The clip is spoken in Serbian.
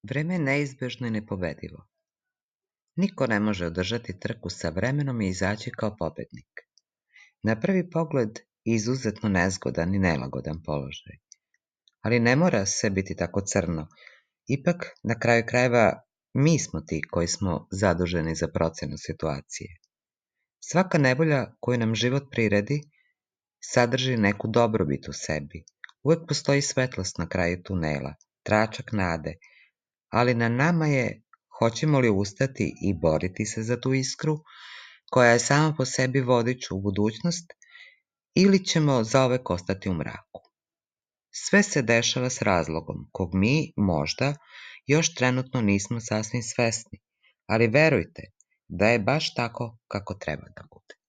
Vreme je neizbežno i nepobedivo. Niko ne može održati trku sa vremenom i izaći kao pobednik. Na prvi pogled izuzetno nezgodan i nelagodan položaj. Ali ne mora sve biti tako crno. Ipak, na kraju krajeva, mi smo ti koji smo zaduženi za procenu situacije. Svaka nevolja koju nam život priredi sadrži neku dobrobit u sebi. Uvek postoji svetlost na kraju tunela, tračak nade, ali na nama je hoćemo li ustati i boriti se za tu iskru, koja je sama po sebi vodič u budućnost, ili ćemo zaovek ostati u mraku. Sve se dešava s razlogom, kog mi, možda, još trenutno nismo sasvim svesni, ali verujte da je baš tako kako treba da bude.